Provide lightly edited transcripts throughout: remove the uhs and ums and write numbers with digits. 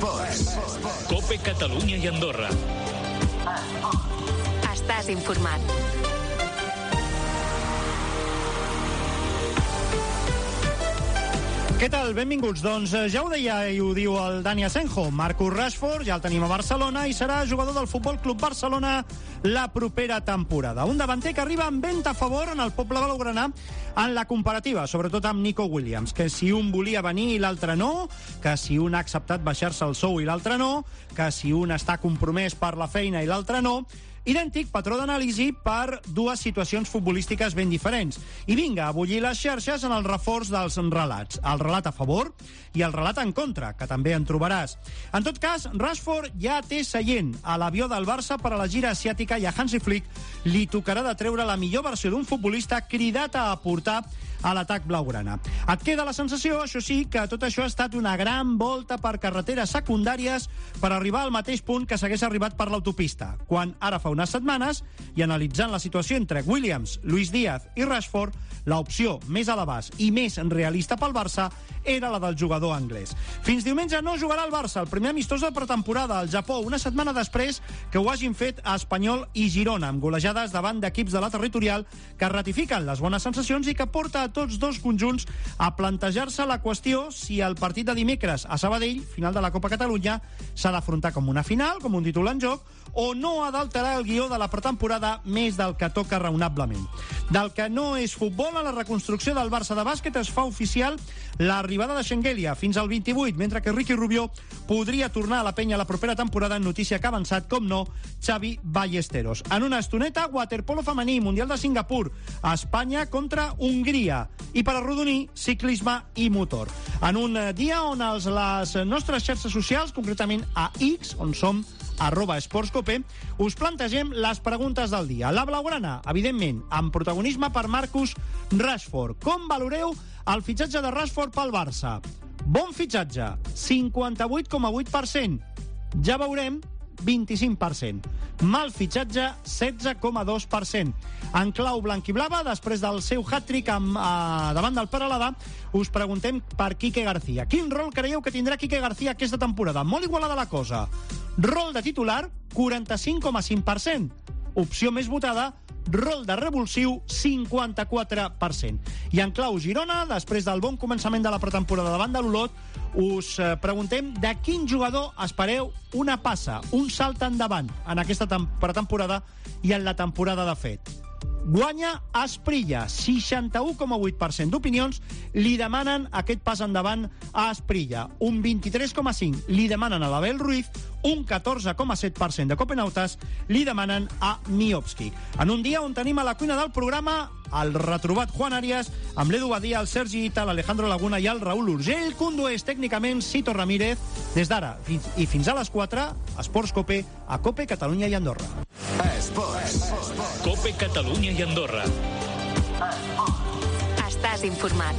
Esports. COPE Catalunya i Andorra. Estàs informat. Què tal? Benvinguts. Doncs ja ho deia i ho diu el Dani Asenjo. Marcus Rashford ja el tenim a Barcelona i serà jugador del Futbol Club Barcelona la propera temporada. Un davanter que arriba amb vent a favor en el poble blaugrana en la comparativa, sobretot amb Nico Williams, que si un volia venir i l'altre no, que si un ha acceptat baixar-se el sou i l'altre no, que si un està compromès per la feina i l'altre no. Idèntic patró d'anàlisi per dues situacions futbolístiques ben diferents. I vinga a bullir les xarxes en el reforç dels relats. El relat a favor i el relat en contra, que també en trobaràs. En tot cas, Rashford ja té seient a l'avió del Barça per a la gira asiàtica i a Hansi Flick li tocarà de treure la millor versió d'un futbolista cridat a aportar a l'atac blaugrana. Et queda la sensació, això sí, que tot això ha estat una gran volta per carreteres secundàries per arribar al mateix punt que s'hagués arribat per l'autopista, quan ara fa unes setmanes, i analitzant la situació entre Williams, Luis Díaz i Rashford, l'opció més a l'abast i més realista pel Barça era la del jugador anglès. Fins diumenge no jugarà el Barça, el primer amistós de pretemporada al Japó, una setmana després que ho hagin fet a Espanyol i Girona, amb golejades davant d'equips de la territorial que ratifiquen les bones sensacions i que porta a tots dos conjunts a plantejar-se la qüestió si el partit de dimecres a Sabadell, final de la Copa Catalunya, s'ha d'afrontar com una final, com un títol en joc, o no ha d'alterar el guió de la pretemporada més del que toca raonablement. Del que no és futbol, a la reconstrucció del Barça de bàsquet es fa oficial l'arribada de Schengelia fins al 28, mentre que Ricky Rubio podria tornar a la penya la propera temporada, en notícia que ha avançat, com no, Xavi Ballesteros. En una estoneta, waterpolo femení, Mundial de Singapur, Espanya contra Hongria. I per arrodonir, ciclisme i motor. En un dia on les nostres xarxes socials, concretament a X, on som @esportscope, us plantegem les preguntes del dia. La blaugrana, evidentment, amb protagonisme per Marcus Rashford. Com valoreu el fitxatge de Rashford pel Barça? Bon fitxatge, 58,8%. Ja veurem, 25%. Mal fitxatge, 16,2%. En clau blanquiblava, després del seu hat-trick davant del Peralada, us preguntem per Quique García. Quin rol creieu que tindrà Quique García aquesta temporada? Molt igualada la cosa. Rol de titular, 45,5%. Opció més votada, rol de revulsiu, 54%. I en clau Girona, després del bon començament de la pretemporada davant de l'Olot, us preguntem de quin jugador espereu una passa, un salt endavant en aquesta pretemporada i en la temporada de fet. Guanya Asprilla, 61,8% d'opinions li demanen aquest pas endavant a Asprilla, un 23,5% li demanen a l'Abel Ruiz, un 14,7% de copenautes li demanen a Miovski. En un dia on tenim a la cuina del programa el retrobat Juan Arias, amb l'Edu Badia, el Sergi Ita, l'Alejandro Laguna i el Raül Urgell. Condueix tècnicament Cito Ramírez. Des d'ara i fins a les 4, Esports Cope, a Cope Catalunya i Andorra. Esports. COPE Catalunya i Andorra. Estàs informat.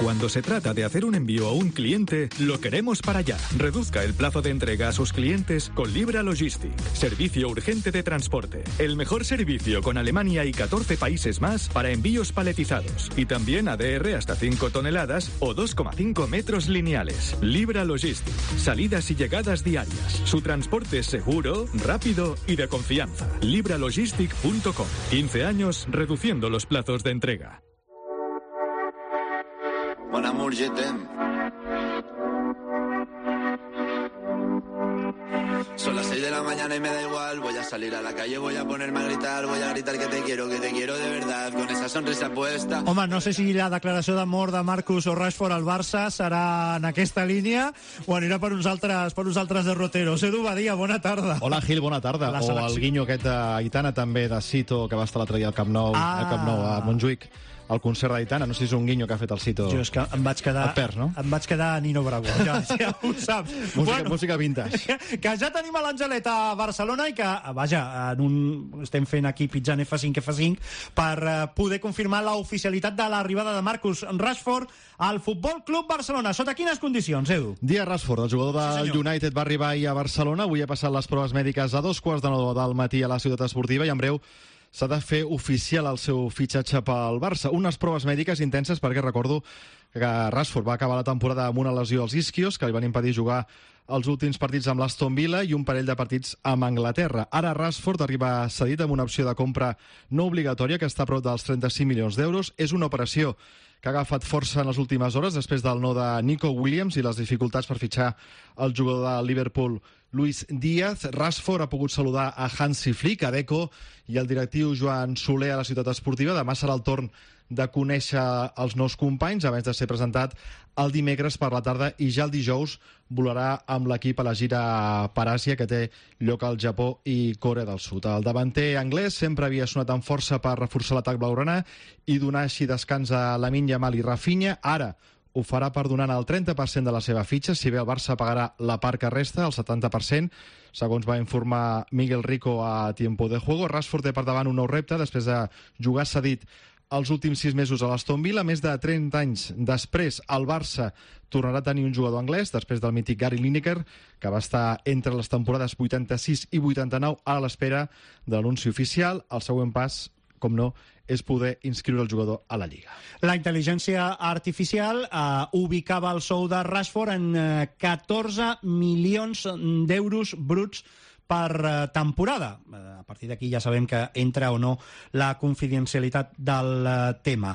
Cuando se trata de hacer un envío a un cliente, lo queremos para allá. Reduzca el plazo de entrega a sus clientes con Libra Logistic. Servicio urgente de transporte. El mejor servicio con Alemania y 14 países más para envíos paletizados. Y también ADR hasta 5 toneladas o 2,5 metros lineales. Libra Logistic. Salidas y llegadas diarias. Su transporte es seguro, rápido y de confianza. libralogistic.com. 15 años reduciendo los plazos de entrega. Mon amour, je t'aime. Son las 6 de la mañana y me da igual. Voy a salir a la calle, voy a ponerme a gritar. Voy a gritar que te quiero de verdad. Con esa sonrisa puesta. Home, no sé si la declaració d'amor de Marcus o Rashford al Barça serà en aquesta línia o anirà per uns altres derroteros. Edu Badia, bona tarda. Hola, Gil, bona tarda. O el guinyo aquest d'Aitana, també, de Cito, que va estar l'altre dia al Camp Nou, a Montjuïc. El concert d'Aitana, no sé si és un guinyo que ha fet el Cito. Jo és que em vaig quedar... Et perds, no? Em vaig quedar a Nino Bravo, ja ho saps. Música vintage. Que ja tenim a l'Angelet a Barcelona i que, vaja, estem fent aquí pitjant F5 per poder confirmar l'oficialitat de l'arribada de Marcus Rashford al Futbol Club Barcelona. Sota quines condicions, Edu? Dia Rashford, el jugador del United, va arribar ahir a Barcelona. Avui ha passat les proves mèdiques a 2:15 del matí a la ciutat esportiva i en breu s'ha de fer oficial el seu fitxatge pel Barça. Unes proves mèdiques intenses, perquè recordo que Rashford va acabar la temporada amb una lesió als isquios que li van impedir jugar els últims partits amb l'Aston Villa i un parell de partits amb Anglaterra. Ara Rashford arriba cedit amb una opció de compra no obligatòria que està a prop dels 35 milions d'euros. És una operació que ha agafat força en les últimes hores després del no de Nico Williams i les dificultats per fitxar el jugador de Liverpool Luis Díaz. Rashford ha pogut saludar a Hansi Flick, a Deco i el directiu Joan Soler a la ciutat esportiva. Demà serà el torn de conèixer els nous companys abans de ser presentat el dimecres per la tarda i ja el dijous volarà amb l'equip a la gira per Àsia que té lloc al Japó i Corea del Sud. El davanter anglès sempre havia sonat amb força per reforçar l'atac blaugrana i donar així descans a Lamine Yamal i Rafinha. Ara ho farà per donar el 30% de la seva fitxa, si bé el Barça pagarà la part que resta, el 70%, segons va informar Miguel Rico a Tiempo de Juego. Rashford té per davant un nou repte després de jugar cedit els últims 6 mesos a l'Aston Villa. Més de 30 anys després, el Barça tornarà a tenir un jugador anglès, després del mític Gary Lineker, que va estar entre les temporades 86 i 89 a l'espera de l'anunci oficial. El següent pas, com no, és poder inscriure el jugador a la Lliga. La intel·ligència artificial ubicava el sou de Rashford en 14 milions d'euros bruts per temporada. A partir d'aquí ja sabem que entra o no la confidencialitat del tema.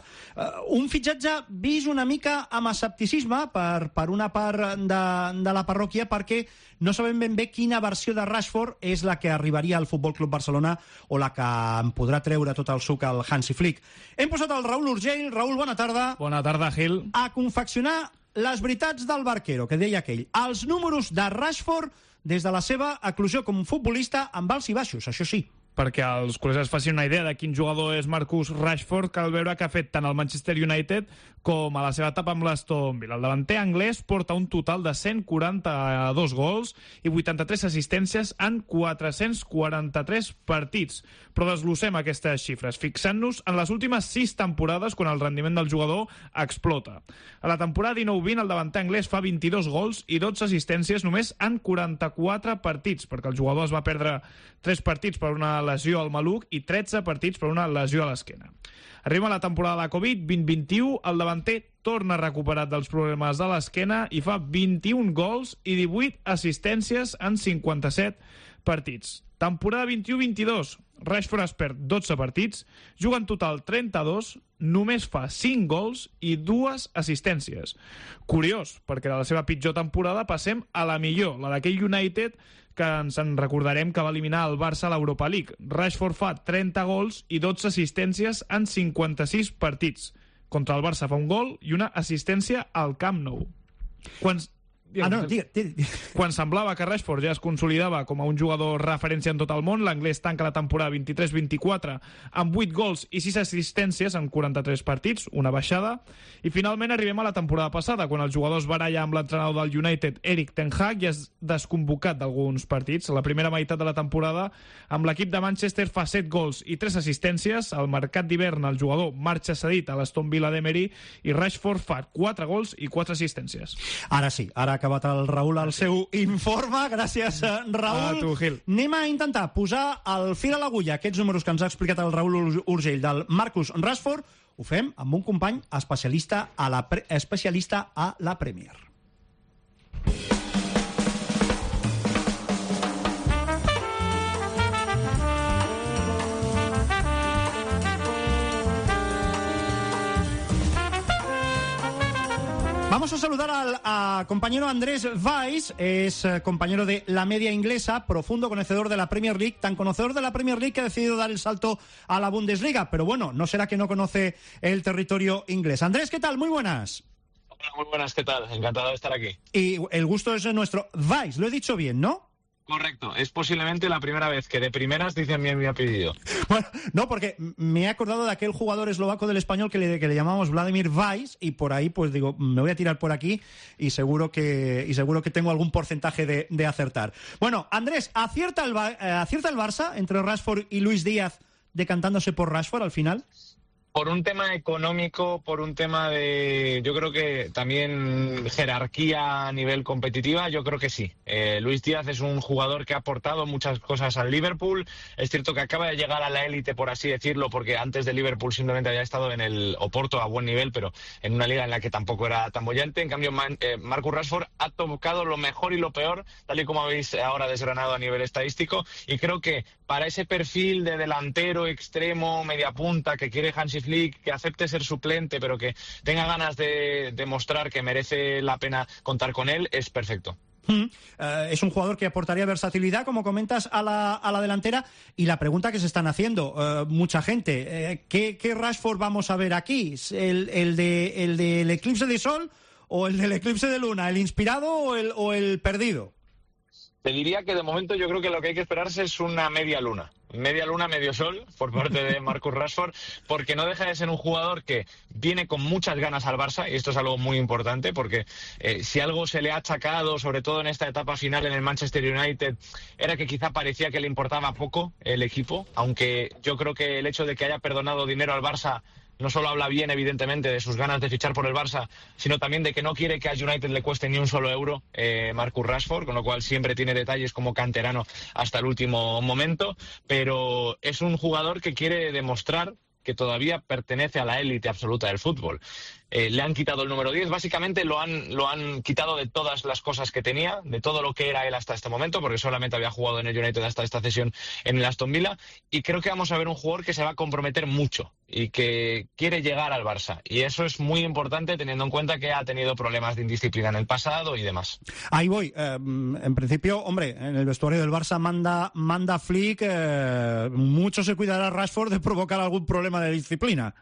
Un fitxatge vist una mica amb escepticisme per una part de la parròquia, perquè no sabem ben bé quina versió de Rashford és la que arribaria al Futbol Club Barcelona o la que en podrà treure tot el suc al Hansi Flick. Hem posat el Raül Urgell. Raül, bona tarda. Bona tarda, Gil. A confeccionar les veritats del barquero, que deia aquell. Els números de Rashford des de la seva eclosió com un futbolista amb alts i baixos, això sí. Perquè els col·legues es facin una idea de quin jugador és Marcus Rashford, cal veure que ha fet tant el Manchester United com a la seva etapa amb l'Aston Villa. El davanter anglès porta un total de 142 gols i 83 assistències en 443 partits. Però desglossem aquestes xifres, fixant-nos en les últimes 6 temporades quan el rendiment del jugador explota. A la temporada 19-20 el davanter anglès fa 22 gols i 12 assistències només en 44 partits, perquè el jugador es va perdre 3 partits per una lesió al maluc i 13 partits per una lesió a l'esquena. Arriba a la temporada de Covid 2021, el davanter torna recuperat dels problemes de l'esquena i fa 21 gols i 18 assistències en 57 partits. Temporada 21-22, Rashford es perd 12 partits, juga en total 32, només fa 5 gols i 2 assistències. Curiós, perquè de la seva pitjor temporada passem a la millor, la d'aquell United que ens en recordarem que va eliminar el Barça a l'Europa League. Rashford fa 30 gols i 12 assistències en 56 partits. Contra el Barça fa un gol i una assistència al Camp Nou. Quan semblava que Rashford ja es consolidava com a un jugador referència en tot el món, l'anglès tanca la temporada 23-24 amb 8 gols i 6 assistències en 43 partits, una baixada, i finalment arribem a la temporada passada, quan el jugador es baralla amb l'entrenador del United, Erik ten Hag, i és desconvocat d'alguns partits. A la primera meitat de la temporada, amb l'equip de Manchester fa 7 gols i 3 assistències. Al mercat d'hivern el jugador marxa cedit a l'Aston Villa d'Emery i Rashford fa 4 gols i 4 assistències. Ara sí, ara ha acabat el Raül el seu informe. Gràcies, Raül. A tu, Gil. Anem a intentar posar el fil a l'agulla, aquests números que ens ha explicat el Raül Urgell del Marcus Rashford. Ho fem amb un company especialista a la Premier. Vamos a saludar al compañero Andrés Weiss, es compañero de la media inglesa, profundo conocedor de la Premier League, tan conocedor de la Premier League que ha decidido dar el salto a la Bundesliga, pero bueno, no será que no conoce el territorio inglés. Andrés, ¿qué tal? Muy buenas. Hola, muy buenas, ¿qué tal? Encantado de estar aquí. Y el gusto es nuestro. Weiss, lo he dicho bien, ¿no? Correcto, es posiblemente la primera vez que de primeras dicen bien mi apellido. Bueno, no, porque me he acordado de aquel jugador eslovaco del Español que le llamamos Vladimir Weiss, y por ahí pues digo, me voy a tirar por aquí y seguro que tengo algún porcentaje de acertar. Bueno, Andrés, ¿acierta el Barça entre Rashford y Luis Díaz decantándose por Rashford al final? Por un tema económico, por un tema de, yo creo que también jerarquía a nivel competitiva, yo creo que sí. Luis Díaz es un jugador que ha aportado muchas cosas al Liverpool. Es cierto que acaba de llegar a la élite, por así decirlo, porque antes de Liverpool simplemente había estado en el Oporto a buen nivel, pero en una liga en la que tampoco era tan bollante. En cambio, Marcus Rashford ha tocado lo mejor y lo peor, tal y como habéis ahora desgranado a nivel estadístico, y creo que para ese perfil de delantero, extremo, media punta que quiere Hansi Flick, que acepte ser suplente, pero que tenga ganas de demostrar que merece la pena contar con él, es perfecto. Es un jugador que aportaría versatilidad, como comentas, a la delantera. Y la pregunta que se están haciendo mucha gente, ¿qué Rashford vamos a ver aquí? ¿El del eclipse de sol o el del eclipse de luna? ¿El inspirado o el perdido? Te diría que de momento yo creo que lo que hay que esperarse es una media luna, medio sol por parte de Marcus Rashford, porque no deja de ser un jugador que viene con muchas ganas al Barça, y esto es algo muy importante, porque si algo se le ha achacado, sobre todo en esta etapa final en el Manchester United, era que quizá parecía que le importaba poco el equipo, aunque yo creo que el hecho de que haya perdonado dinero al Barça no solo habla bien, evidentemente, de sus ganas de fichar por el Barça, sino también de que no quiere que a United le cueste ni un solo euro Marcus Rashford, con lo cual siempre tiene detalles como canterano hasta el último momento, pero es un jugador que quiere demostrar que todavía pertenece a la élite absoluta del fútbol. Le han quitado el número 10, básicamente lo han quitado de todas las cosas que tenía, de todo lo que era él hasta este momento, porque solamente había jugado en el United hasta esta cesión en el Aston Villa, y creo que vamos a ver un jugador que se va a comprometer mucho y que quiere llegar al Barça, y eso es muy importante teniendo en cuenta que ha tenido problemas de indisciplina en el pasado y demás. Ahí voy. En principio, hombre, en el vestuario del Barça manda Flick, mucho se cuidará Rashford de provocar algún problema de disciplina.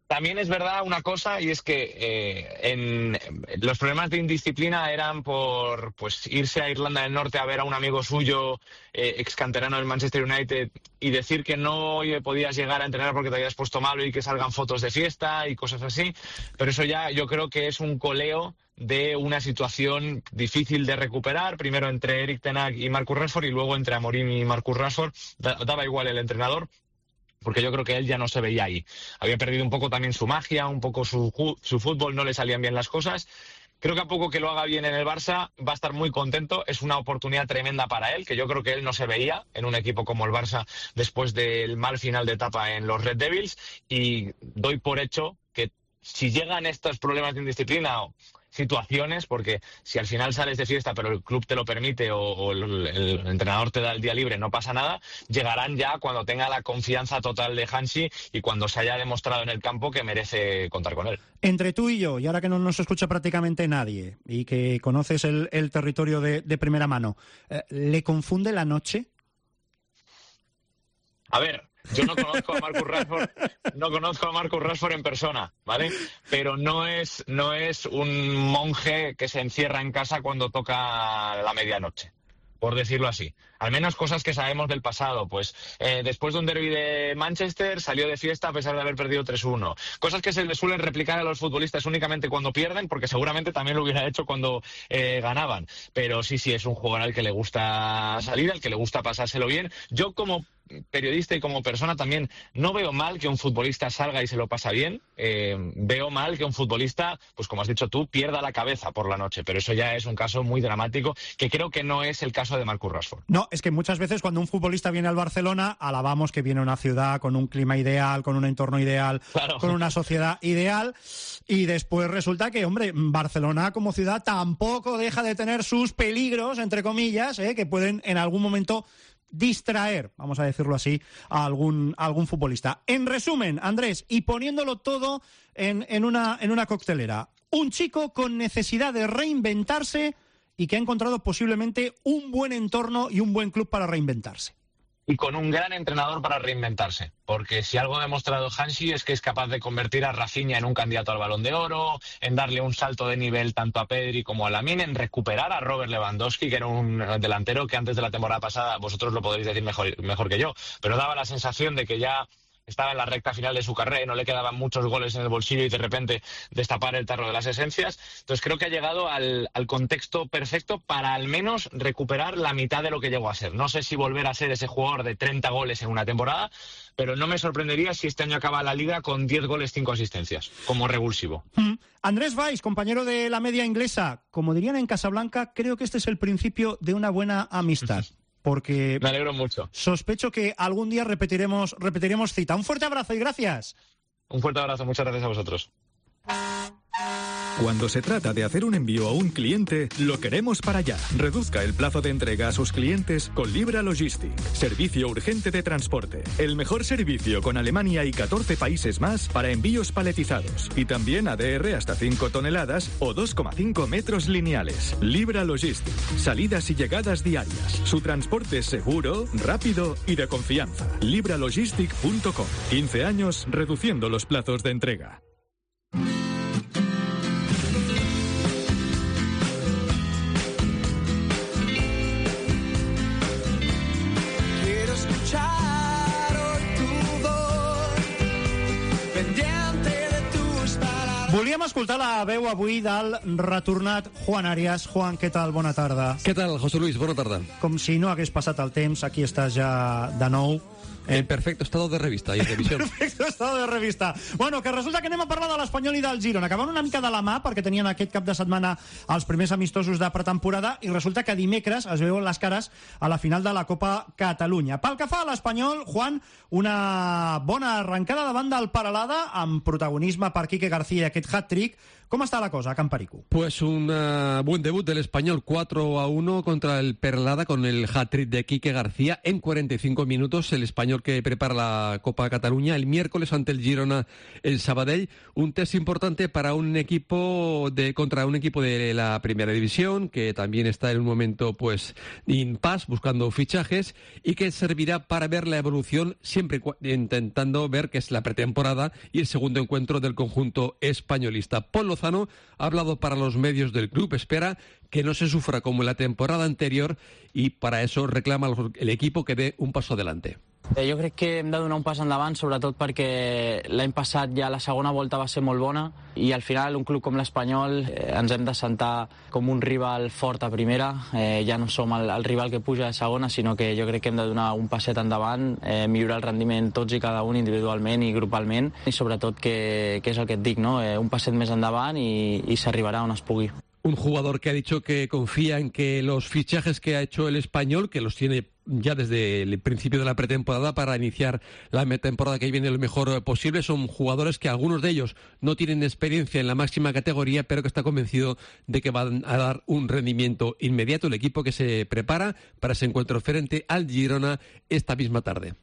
También es verdad una cosa, y es que los problemas de indisciplina eran por irse a Irlanda del Norte a ver a un amigo suyo, ex canterano del Manchester United, y decir que no podías llegar a entrenar porque te habías puesto malo y que salgan fotos de fiesta y cosas así. Pero eso ya yo creo que es un coleo de una situación difícil de recuperar, primero entre Erik ten Hag y Marcus Rashford, y luego entre Amorim y Marcus Rashford. Daba igual el entrenador, porque yo creo que él ya no se veía ahí. Había perdido un poco también su magia, un poco su fútbol, no le salían bien las cosas. Creo que a poco que lo haga bien en el Barça va a estar muy contento. Es una oportunidad tremenda para él, que yo creo que él no se veía en un equipo como el Barça después del mal final de etapa en los Red Devils, y doy por hecho que si llegan estos problemas de indisciplina o situaciones, porque si al final sales de fiesta pero el club te lo permite o el entrenador te da el día libre, no pasa nada, llegarán ya cuando tenga la confianza total de Hansi y cuando se haya demostrado en el campo que merece contar con él. Entre tú y yo, y ahora que no nos escucha prácticamente nadie y que conoces el territorio de primera mano, ¿le confunde la noche? A ver, yo no conozco a Marcus Rashford en persona, ¿vale? Pero no es un monje que se encierra en casa cuando toca la medianoche, por decirlo así. Al menos cosas que sabemos del pasado, pues después de un derbi de Manchester salió de fiesta a pesar de haber perdido 3-1. Cosas que se le suelen replicar a los futbolistas únicamente cuando pierden, porque seguramente también lo hubiera hecho cuando ganaban. Pero sí, es un jugador al que le gusta salir, al que le gusta pasárselo bien. Yo como periodista y como persona también no veo mal que un futbolista salga y se lo pasa bien. Veo mal que un futbolista, pues como has dicho tú, pierda la cabeza por la noche, pero eso ya es un caso muy dramático que creo que no es el caso de Marcus Rashford. No, es que muchas veces cuando un futbolista viene al Barcelona alabamos que viene a una ciudad con un clima ideal, con un entorno ideal, claro, con una sociedad ideal, y después resulta que, hombre, Barcelona como ciudad tampoco deja de tener sus peligros, entre comillas, que pueden en algún momento distraer, vamos a decirlo así, a algún futbolista. En resumen, Andrés, y poniéndolo todo en una coctelera, un chico con necesidad de reinventarse y que ha encontrado posiblemente un buen entorno y un buen club para reinventarse. Y con un gran entrenador para reinventarse, porque si algo ha demostrado Hansi es que es capaz de convertir a Rafinha en un candidato al Balón de Oro, en darle un salto de nivel tanto a Pedri como a Lamine, en recuperar a Robert Lewandowski, que era un delantero que antes de la temporada pasada, vosotros lo podréis decir mejor que yo, pero daba la sensación de que ya estaba en la recta final de su carrera, no le quedaban muchos goles en el bolsillo y de repente destapar el tarro de las esencias. Entonces creo que ha llegado al contexto perfecto para al menos recuperar la mitad de lo que llegó a ser. No sé si volver a ser ese jugador de 30 goles en una temporada, pero no me sorprendería si este año acaba la Liga con 10 goles, 5 asistencias, como revulsivo. Andrés Valls, compañero de la media inglesa, como dirían en Casablanca, creo que este es el principio de una buena amistad. Porque me alegro mucho. Sospecho que algún día repetiremos cita. Un fuerte abrazo y gracias. Un fuerte abrazo, muchas gracias a vosotros. Cuando se trata de hacer un envío a un cliente, lo queremos para allá. Reduzca el plazo de entrega a sus clientes con Libra Logistic. Servicio urgente de transporte. El mejor servicio con Alemania y 14 países más para envíos paletizados. Y también ADR hasta 5 toneladas o 2,5 metros lineales. Libra Logistic. Salidas y llegadas diarias. Su transporte es seguro, rápido y de confianza. libralogistic.com. 15 años reduciendo los plazos de entrega. Volíem escoltar la veu avui del retornat Juan Arias. Juan, què tal? Bona tarda. Què tal, José Luis? Bona tarda. Com si no hagués passat el temps, aquí estàs ja de nou. En perfecto estado de revista y revisión. Perfecto estado de revista. Bueno, que resulta que anem a parlar de l'Espanyol i del Girona, que van una mica de la mà perquè tenien aquest cap de setmana els primers amistosos de pretemporada i resulta que dimecres es veuen les cares a la final de la Copa Catalunya. Pel que fa a l'Espanyol, Juan, una bona arrencada davant del Peralada amb protagonisme per Quique García i aquest hat-trick. ¿Cómo está la cosa, Camparico? Pues un buen debut del Español, 4-1 contra el Peralada con el hat-trick de Quique García en 45 minutos. El Español que prepara la Copa Cataluña el miércoles ante el Girona el Sabadell. Un test importante para un equipo contra un equipo de la Primera División que también está en un momento pues impasse buscando fichajes y que servirá para ver la evolución siempre intentando ver que es la pretemporada y el segundo encuentro del conjunto españolista. Paul Lozano ha hablado para los medios del club, espera que no se sufra como en la temporada anterior y para eso reclama el equipo que dé un paso adelante. Jo crec que hem de donar un pas endavant, sobretot perquè l'any passat ja la segona volta va ser molt bona i al final un club com l'Espanyol ens hem de sentar com un rival fort a primera. Ja no som el rival que puja a segona, sinó que jo crec que hem de donar un passet endavant, millorar el rendiment tots i cada un individualment i grupalment i sobretot que és el que et dic, no? Un passet més endavant i s'arribarà on es pugui. Un jugador que ha dicho que confía en que los fichajes que ha hecho el Español, que los tiene ya desde el principio de la pretemporada para iniciar la temporada que viene lo mejor posible, son jugadores que algunos de ellos no tienen experiencia en la máxima categoría, pero que está convencido de que van a dar un rendimiento inmediato. El equipo que se prepara para ese encuentro frente al Girona esta misma tarde.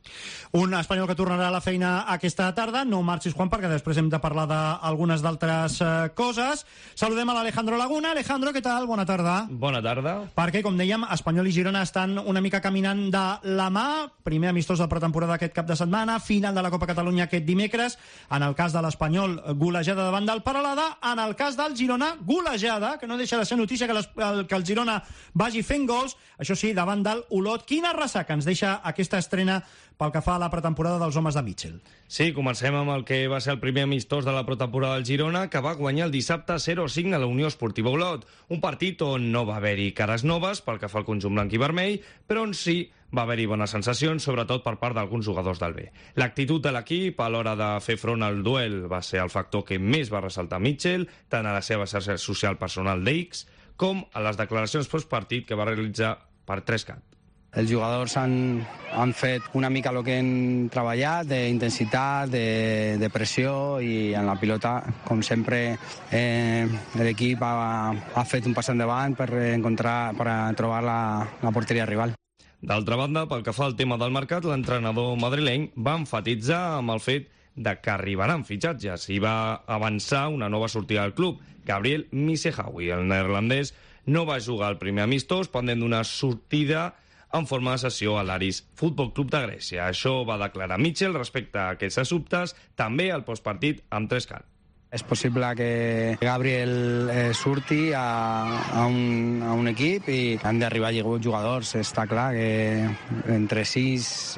Un Espanyol que tornarà a la feina aquesta tarda. No marxis, Juan, perquè després hem de parlar d'algunes d'altres coses. Saludem a l'Alejandro Laguna. Alejandro, què tal? Bona tarda. Bona tarda. Perquè, com dèiem, Espanyol i Girona estan una mica caminant de la mà. Primer amistós de pretemporada aquest cap de setmana, final de la Copa Catalunya aquest dimecres. En el cas de l'Espanyol, golejada davant del Peralada. En el cas del Girona, golejada, que no deixa de ser notícia que el Girona vagi fent gols, això sí, davant del Olot. Quina ressaca ens deixa aquesta estrena pel que fa a la pretemporada dels homes de Mitchell? Sí, comencem amb el que va ser el primer amistós de la pretemporada del Girona, que va guanyar el dissabte 0-5 a la Unió Esportiva Olot. Un partit on no va haver-hi cares noves pel que fa al conjunt blanc i vermell, però on sí va haver-hi bones sensacions, sobretot per part d'alguns jugadors del B. L'actitud de l'equip a l'hora de fer front al duel va ser el factor que més va ressaltar Mitchell, tant a la seva xarxa social personal d'X, com a les declaracions postpartit que va realitzar per 3cat. Els jugadors han fet una mica el que hem treballat, d'intensitat, de pressió, i en la pilota, com sempre, l'equip ha fet un pas endavant per trobar la porteria rival. D'altra banda, pel que fa al tema del mercat, l'entrenador madrileny va enfatitzar amb el fet de que arribaran fitxatges i va avançar una nova sortida del club. Gabriel Misehawi, el neerlandès, no va jugar al primer amistós pendent d'una sortida en forma de cessió a l'Aris Futbol Club de Grècia. Això va declarar Mitchell respecte a aquests assumptes, també al postpartit amb 3cat. És possible que Gabriel surti a un equip i han d'arribar jugadors. Està clar que entre 6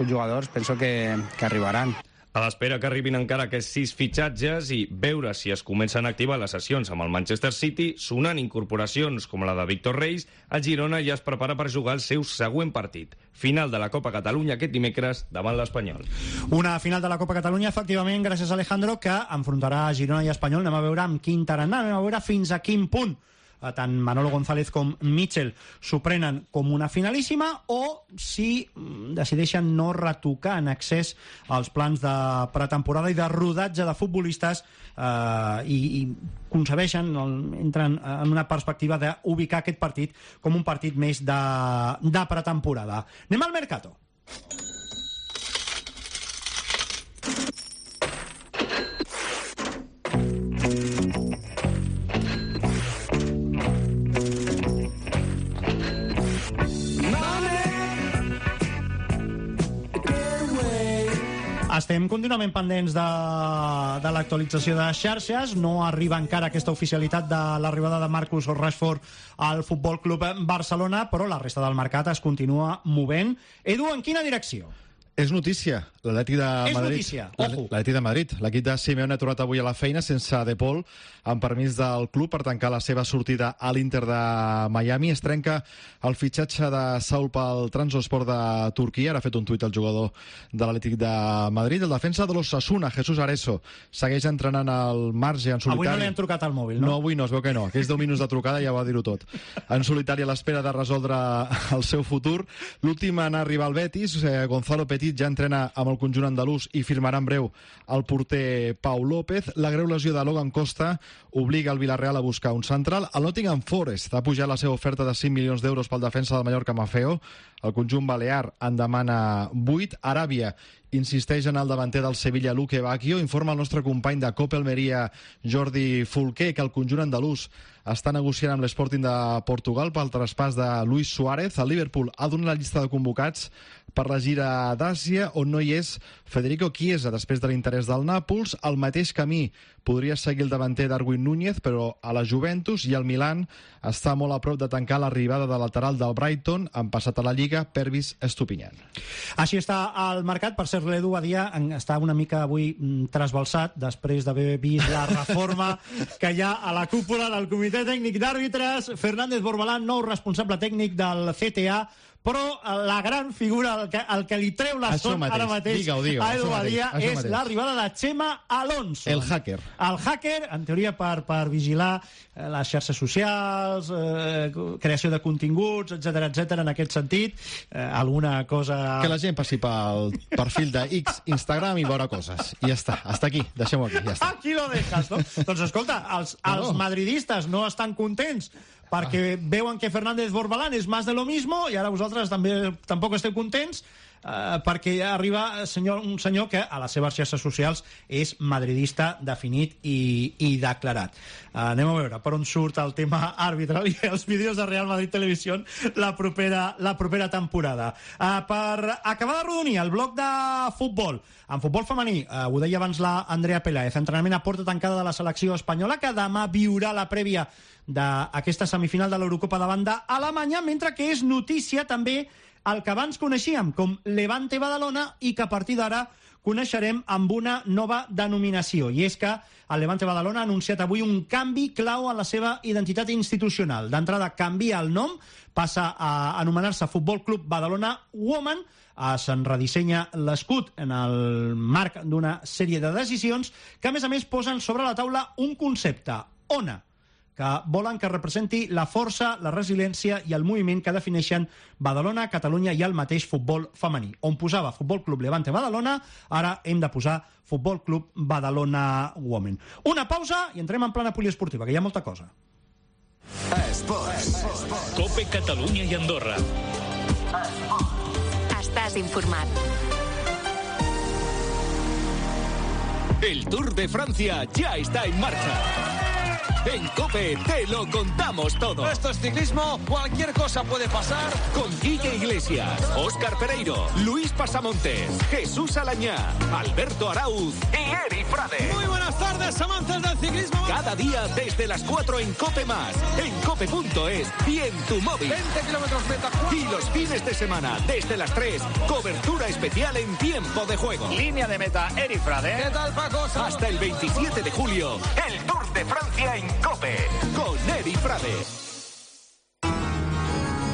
jugadors penso que arribaran. A l'espera que arribin encara aquests 6 fitxatges i veure si es comencen a activar les sessions amb el Manchester City, sonant incorporacions com la de Víctor Reis, el Girona ja es prepara per jugar el seu següent partit. Final de la Copa Catalunya aquest dimecres davant l'Espanyol. Una final de la Copa Catalunya, efectivament, gràcies a Alejandro, que enfrontarà Girona i Espanyol. Anem a veure amb quin tarannà, anem a veure fins a quin punt tant Manolo González com Mitchell s'ho prenen com una finalíssima o si decideixen no retocar en excés els plans de pretemporada i de rodatge de futbolistes i concebeixen, entren en una perspectiva d'ubicar aquest partit com un partit més de pretemporada. Anem al Mercato. Estem contínuament pendents de l'actualització de xarxes. No arriba encara aquesta oficialitat de l'arribada de Marcus Rashford al Futbol Club Barcelona, però la resta del mercat es continua movent. Edu, en quina direcció? És notícia. L'Atlètic de Madrid. És notícia, ojo. L'Atlètic de Madrid. L'equip de Simeone ha tornat avui a la feina sense De Paul, amb permís del club per tancar la seva sortida a l'Inter de Miami. Es trenca el fitxatge de Saul pel Trabzonspor de Turquia. Ara ha fet un tuit el jugador de l'Atlètic de Madrid. El defensa de l'Osasuna, Jesús Areso, segueix entrenant al marge en solitari. Avui no li han trucat al mòbil, no? No, avui no, es veu que no. Aquells 10 minuts de trucada ja va dir-ho tot. En solitari a l'espera de resoldre el seu futur. L'últim en arribar al Betis, Gonzalo Petit, ja entrena amb el conjunt andalús i firmarà en breu el porter Pau López. La greu lesió de Logan Costa obliga el Villarreal a buscar un central. El Nottingham Forest ha pujat la seva oferta de 5 milions d'euros pel defensa del Mallorca Maffeo. El conjunt balear en demana 8. Aràbia insisteix en el davanter del Sevilla, Luque Bacchio. Informa el nostre company de Copa Almeria, Jordi Fulquer, que el conjunt andalús està negociant amb l'Sporting de Portugal pel traspàs de Luis Suárez. El Liverpool ha donat la llista de convocats per la gira d'Àsia, on no hi és Federico Chiesa després de l'interès del Nàpols. El mateix camí podria seguir el davanter Darwin Núñez, però a la Juventus, i el Milan està molt a prop de tancar l'arribada de lateral del Brighton, han passat a la Lliga, Pervis Estupiñán. Així està el mercat. Per cert, l'Edu a dia està una mica avui trasbalsat després d'haver vist la reforma que hi ha a la cúpula del Comitè Tècnic d'Àrbitres. Fernández Borbalán, nou responsable tècnic del CTA, però la gran figura, el que li treu la son ara mateix a Edu Badia és l'arribada de Chema Alonso. El hacker. El hacker, en teoria, per vigilar les xarxes socials, creació de continguts, etc. En aquest sentit, alguna cosa... Que la gent passi pel perfil de X, Instagram i veure coses. I ja està, hasta aquí, deixem-ho aquí, ja està. Aquí lo dejas, no? Doncs escolta, els madridistes no estan contents perquè veuen que Fernández Borbalán és más de lo mismo i ara vosaltres tampoc esteu contents perquè arriba un senyor que a les seves xarxes socials és madridista definit i declarat. Anem a veure per on surt el tema arbitral i els vídeos de Real Madrid Televisió la propera temporada. Per acabar de rodonir el bloc de futbol, en futbol femení, ho deia abans l'Andrea Peláez, entrenament a porta tancada de la selecció espanyola, que demà viurà la prèvia d'aquesta semifinal de l'Eurocopa davant d'Alemanya, mentre que és notícia també el que abans coneixíem com Levante Badalona i que a partir d'ara coneixerem amb una nova denominació, i és que el Levante Badalona ha anunciat avui un canvi clau en la seva identitat institucional. D'entrada canvia el nom, passa a anomenar-se Futbol Club Badalona Women, se'n redissenya l'escut en el marc d'una sèrie de decisions que a més posen sobre la taula un concepte, ONA, que volen que representi la força, la resiliència i el moviment que defineixen Badalona, Catalunya i el mateix futbol femení. On posava Futbol Club Levante Badalona, ara hem de posar Futbol Club Badalona Women. Una pausa i entrem en plana poliesportiva, que hi ha molta cosa. Esports. Cope Catalunya i Andorra. Estàs informat. El Tour de Francia ya está en marcha. En COPE te lo contamos todo. Esto es ciclismo, cualquier cosa puede pasar. Con Quique Iglesias, Óscar Pereiro, Luis Pasamontes, Jesús Alañá, Alberto Arauz y Eri Frade. Muy buenas tardes, amantes del ciclismo. Cada día desde las 4 en COPE+, en cope.es y en tu móvil. 20 kilómetros meta. Y los fines de semana, desde las 3, cobertura especial en tiempo de juego. Línea de meta, Eri Frade. ¿Qué tal, Paco? Hasta el 27 de julio, el Tour de Francia en COPE, con Eri Frade.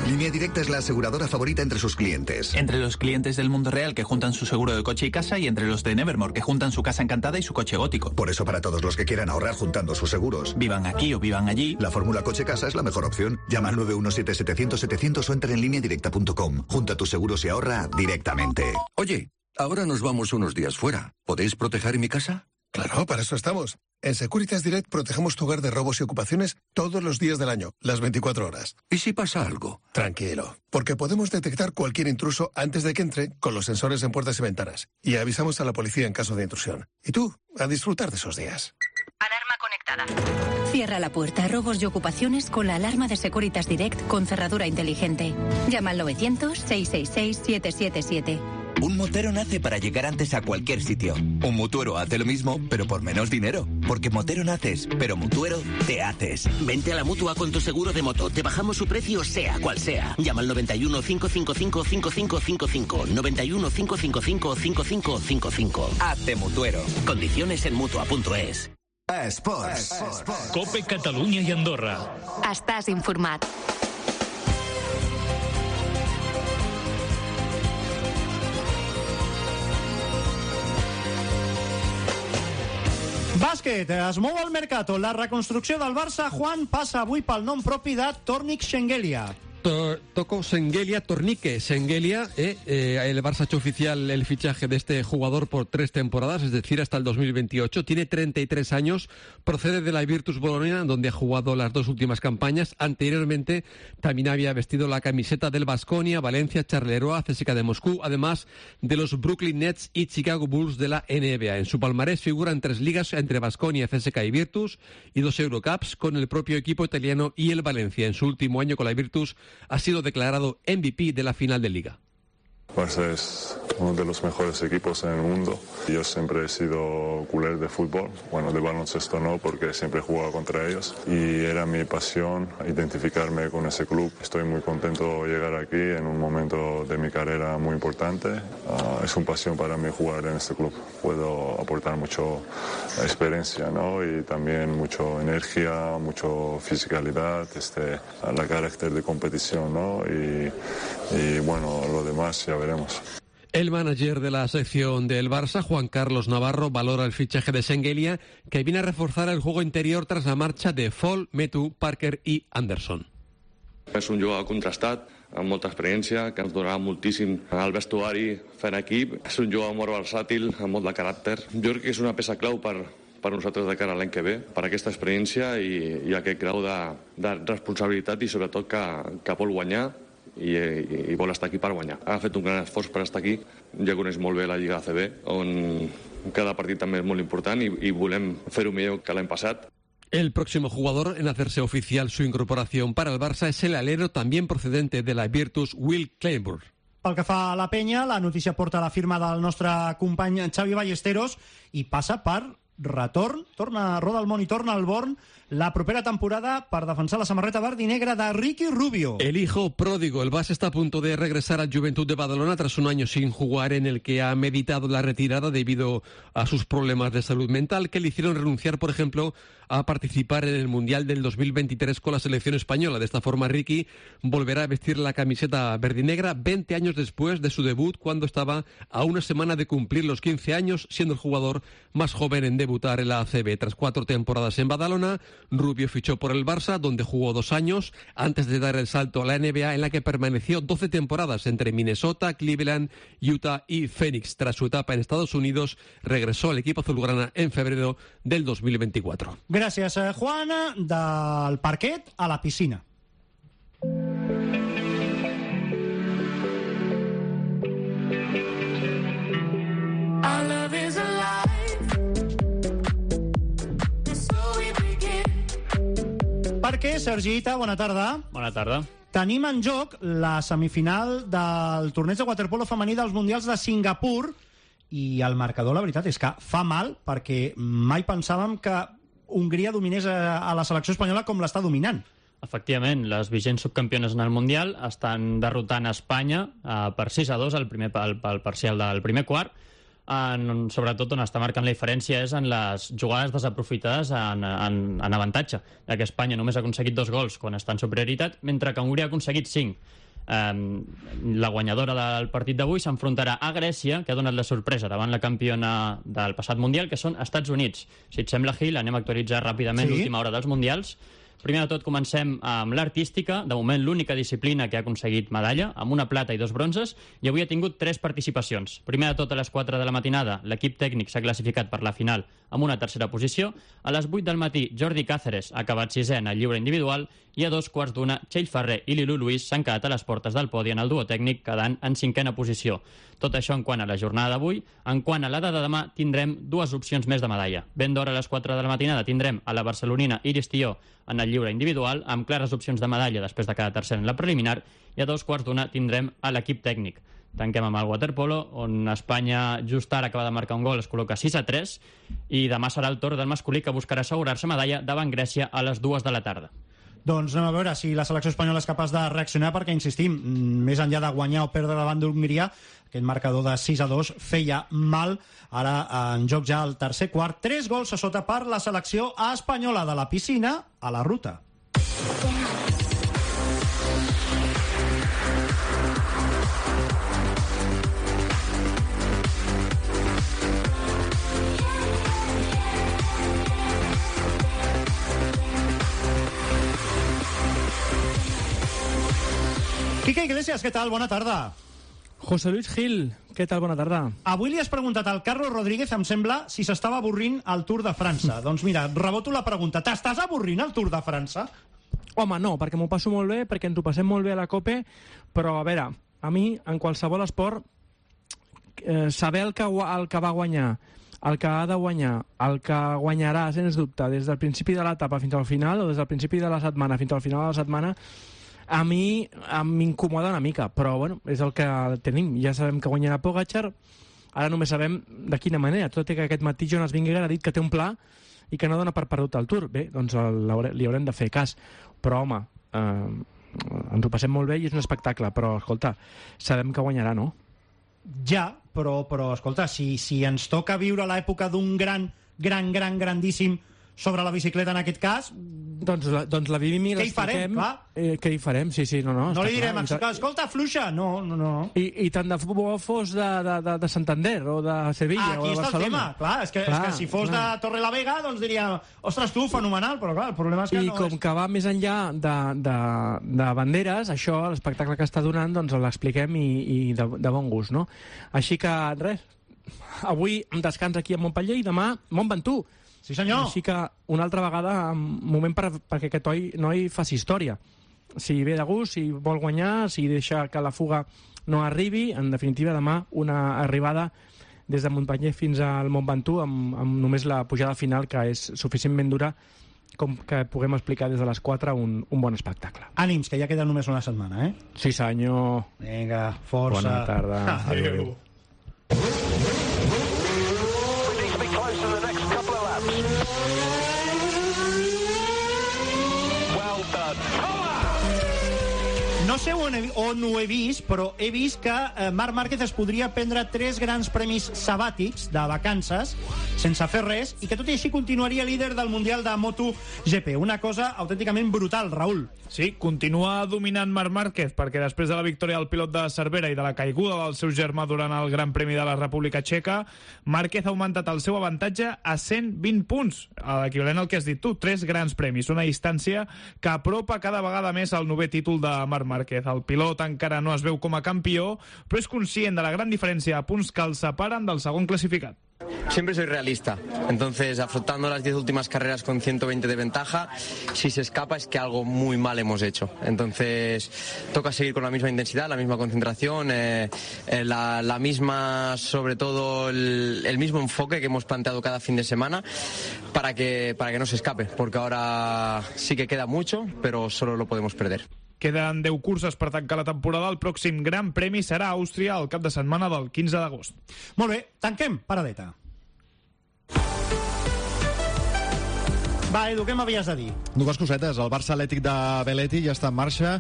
Línea Directa es la aseguradora favorita entre sus clientes. Entre los clientes del mundo real que juntan su seguro de coche y casa, y entre los de Nevermore que juntan su casa encantada y su coche gótico. Por eso, para todos los que quieran ahorrar juntando sus seguros, vivan aquí o vivan allí, la fórmula coche-casa es la mejor opción. Llama al 917-700-700 o entra en lineadirecta.com. Junta tus seguros y ahorra directamente. Oye, ahora nos vamos unos días fuera. ¿Podéis proteger mi casa? Claro, para eso estamos. En Securitas Direct protegemos tu hogar de robos y ocupaciones todos los días del año, las 24 horas. ¿Y si pasa algo? Tranquilo, porque podemos detectar cualquier intruso antes de que entre con los sensores en puertas y ventanas. Y avisamos a la policía en caso de intrusión. Y tú, a disfrutar de esos días. Alarma conectada. Cierra la puerta a robos y ocupaciones con la alarma de Securitas Direct con cerradura inteligente. Llama al 900-666-777. Un motero nace para llegar antes a cualquier sitio. Un mutuero hace lo mismo, pero por menos dinero. Porque motero naces, pero mutuero te haces. Vente a la Mutua con tu seguro de moto. Te bajamos su precio, sea cual sea. Llama al 91 555 5555. 91 555 5555. Hazte mutuero. Condiciones en Mutua.es. Esports. COPE Catalunya i Andorra. Estàs informat. Bàsquet, es mou al mercato. La reconstrucció del Barça, Juan, passa avui pel nom propi de Tornik Shengelia. Toko Shengelia, Tornike Shengelia. El Barça ha hecho oficial el fichaje de este jugador por 3 temporadas, es decir, hasta el 2028. Tiene 33 años, procede de la Virtus Bolonia, donde ha jugado las 2 últimas campañas. Anteriormente también había vestido la camiseta del Baskonia, Valencia, Charleroi, CSKA de Moscú, además de los Brooklyn Nets y Chicago Bulls de la NBA. En su palmarés figuran 3 ligas entre Baskonia, CSKA y Virtus, y 2 Eurocups con el propio equipo italiano y el Valencia. En su último año con la Virtus ha sido declarado MVP de la final de Liga. Barça es uno de los mejores equipos en el mundo. Yo siempre he sido culé de fútbol, bueno, de baloncesto no, porque siempre he jugado contra ellos. Y era mi pasión identificarme con ese club. Estoy muy contento de llegar aquí en un momento de mi carrera muy importante. Es una pasión para mí jugar en este club. Puedo aportar mucho experiencia, ¿no? Y también mucha energía, mucha fisicalidad, la carácter de competición, ¿no? Y bueno, lo demás ya veremos. El manager de la sección del Barça, Juan Carlos Navarro, valora el fichaje de Shengelia, que viene a reforzar el juego interior tras la marxa de Fall, Metu, Parker i Anderson. És un jugador contrastat, amb molta experiència, que ens donarà moltíssim al vestuari fent equip. És un jugador molt versàtil, amb molt de caràcter. Jo crec que és una peça clau per nosaltres de cara a l'any que ve, per aquesta experiència i aquest grau de responsabilitat i sobretot que vol guanyar i vol estar aquí per guanyar. Ha fet un gran esforç per estar aquí, ja coneix molt bé la Lliga ACB, on cada partit també és molt important i volem fer-ho millor que l'any passat. El próximo jugador en hacerse oficial su incorporación para el Barça es el alero también procedente de la Virtus, Will Clayburgh. Pel que fa a la penya, la notícia porta la firma del nostre company Xavi Ballesteros i passa per retorn, roda el món i torna al Born la propera temporada per defensar la samarreta verd i negra de Ricky Rubio. El hijo pródigo, el base está a punto de regresar al Juventud de Badalona tras un año sin jugar en el que ha meditado la retirada debido a sus problemas de salud mental que le hicieron renunciar, por ejemplo, a participar en el Mundial del 2023 con la selección española. De esta forma, Ricky volverá a vestir la camiseta verdinegra 20 años después de su debut, cuando estaba a una semana de cumplir los 15 años, siendo el jugador más joven en debutar en la ACB. Tras 4 temporadas en Badalona, Rubio fichó por el Barça, donde jugó 2 años, antes de dar el salto a la NBA, en la que permaneció 12 temporadas entre Minnesota, Cleveland, Utah y Phoenix. Tras su etapa en Estados Unidos, regresó al equipo azulgrana en febrero del 2024. Gràcies, Juan. Del parquet a la piscina. Our love is alive. So we begin. Quique, Sergi Ita, bona tarda. Bona tarda. Tenim en joc la semifinal del torneig de waterpolo femení dels Mundials de Singapur i el marcador, la veritat, és que fa mal perquè mai pensàvem que Hongria dominés a la selecció espanyola com l'està dominant. Efectivament, les vigents subcampiones en el Mundial estan derrotant a Espanya per 6-2 pel parcial del primer quart. Sobretot on està marcant la diferència és en les jugades desaprofitades en avantatge, ja que Espanya només ha aconseguit 2 gols quan està en superioritat, mentre que Hongria ha aconseguit 5. La guanyadora del partit d'avui s'enfrontarà a Grècia, que ha donat la sorpresa davant la campiona del passat Mundial, que són Estats Units. Si et sembla, Gil, anem a actualitzar ràpidament l'última hora dels Mundials. Primer de tot comencem amb l'artística, de moment l'única disciplina que ha aconseguit medalla, amb una plata i 2 bronzes, i avui ha tingut 3 participacions. Primer de tot, a les 4 de la matinada, l'equip tècnic s'ha classificat per la final amb una tercera posició. A les 8 del matí, Jordi Cáceres ha acabat 6è en el lliure individual, i a 2:15, Txell Ferrer i Lilu Luis s'han quedat a les portes del podi en el duo tècnic, quedant en 5a posició. Tot això en quant a la jornada d'avui. En quant a la de demà, tindrem 2 opcions més de medalla. Ben d'hora a les 4 de la matinada tindrem a la barcelonina Iris Tió en el lliure individual, amb clares opcions de medalla després de cada tercer en la preliminar, i a 2:15 tindrem a l'equip tècnic. Tanquem amb el waterpolo, on Espanya just ara acaba de marcar un gol, es col·loca 6-3, i demà serà el torn del masculí, que buscarà assegurar-se medalla davant Grècia a les 2 de la tarda. Doncs anem a veure si la selecció espanyola és capaç de reaccionar, perquè, insistim, més enllà de guanyar o perdre davant d'Hongria, aquest marcador de 6-2 feia mal. Ara en joc ja el tercer quart, 3 gols a sota per la selecció espanyola, de la piscina a la ruta. Quique Iglesias, què tal? Bona tarda. José Luis Gil, què tal? Bona tarda. Avui li has preguntat al Carlos Rodríguez, em sembla, si s'estava avorrint al Tour de França. Doncs mira, reboto la pregunta. T'estàs avorrint al Tour de França? Home, no, perquè m'ho passo molt bé, perquè ens ho passem molt bé a la COPE, però, a veure, a mi, en qualsevol esport, saber el que va guanyar, el que ha de guanyar, el que guanyarà, sens dubte, des del principi de l'etapa fins al final, o des del principi de la setmana fins al final de la setmana, a mi m'incomoda una mica, però bueno, és el que tenim. Ja sabem que guanyarà Pogačar, ara només sabem de quina manera, tot i que aquest matí Jonas Vingegaard ha dit que té un pla i que no dona per perdut el Tour. Bé, doncs li haurem de fer cas, però home, ens ho passem molt bé i és un espectacle, però escolta, sabem que guanyarà, no? Ja, però escolta, si ens toca viure l'època d'un grandíssim sobre la bicicleta en aquest cas, doncs la vivim i l'expliquem. Què hi farem? Sí, no. No li direm, escolta, fluixa, no. I tant de fos de Santander o de Sevilla o de Barcelona. Aquí està el tema, clar, és que si fos de Torrelavega, doncs diria, ostres, tu, fenomenal, però clar, el problema és que no és. I com que va més enllà de banderes, això, l'espectacle que està donant, doncs l'expliquem i de bon gust, no? Així que, res, avui descans aquí a Montpeller i demà Mont Ventoux. Sí, senyor. Així que, una altra vegada, moment perquè aquest noi faci història. Si ve de gust, si vol guanyar, si deixa que la fuga no arribi, en definitiva, demà una arribada des de Montpeller fins al Mont Ventoux amb només la pujada final, que és suficientment dura com que puguem explicar des de les 4 un bon espectacle. Ànims, que ja queda només una setmana, eh? Sí, senyor. Vinga, força. Bona tarda. Adéu. No sé on ho he vist, però he vist que Marc Márquez es podria prendre 3 grans premis sabàtics de vacances sense fer res i que tot i així continuaria líder del Mundial de MotoGP. Una cosa autènticament brutal, Raül. Sí, continua dominant Marc Márquez, perquè després de la victòria del pilot de Cervera i de la caiguda del seu germà durant el Gran Premi de la República Txeca, Márquez ha augmentat el seu avantatge a 120 punts, l'equivalent al que has dit tu, 3 grans premis, una distància que apropa cada vegada més el 9è títol de Marc Márquez. El pilot encara no es veu com a campió, però és conscient de la gran diferència de punts que el separen del segon classificat. Siempre soy realista, entonces afrontando las 10 últimas carreras con 120 de ventaja, si se escapa es que algo muy mal hemos hecho. Entonces toca seguir con la misma intensidad, la misma concentración, la misma, sobre todo el mismo enfoque que hemos planteado cada fin de semana para que no se escape, porque ahora sí que queda mucho, pero solo lo podemos perder. Queden 10 curses per tancar la temporada. El pròxim Gran Premi serà a Àustria el cap de setmana del 15 d'agost. Molt bé, tanquem, paradeta. Va, Edu, què m'havies de dir? Dues cosetes. El Barça Atlètic de Belletti ja està en marxa.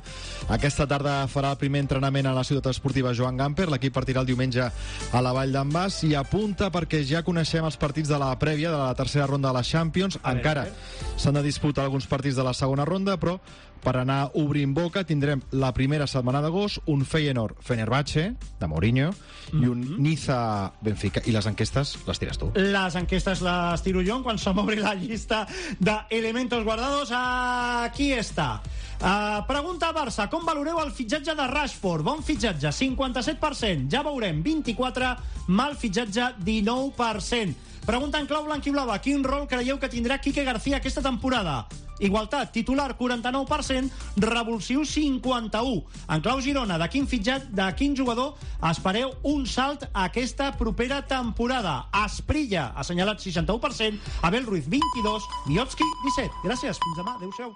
Aquesta tarda farà el primer entrenament a la ciutat esportiva Joan Gamper. L'equip partirà el diumenge a la Vall d'en Bas i apunta perquè ja coneixem els partits de la prèvia de la tercera ronda de la Champions. Encara s'han de disputar alguns partits de la segona ronda, però per anar obrint boca tindrem la primera setmana d'agost un Feyenoord-Fenerbahce de Mourinho i un Niza-Benfica. I les enquestes les tires tu. Les enquestes les tiro jo quan se m'obri la llista d'elementos guardados. Aquí està. Pregunta a Barça, com valoreu el fitxatge de Rashford? Bon fitxatge, 57%. Ja veurem, 24%. Mal fitxatge, 19%. Pregunta en clau blanquiblava, quin rol creieu que tindrà Quique García aquesta temporada? Igualtat, titular 49%, revulsiu 51%. En clau Girona, de quin jugador espereu un salt aquesta propera temporada? Asprilla, assenyalat 61%, Abel Ruiz 22%, Biotski 17%. Gràcies, fins demà, adéu-siau.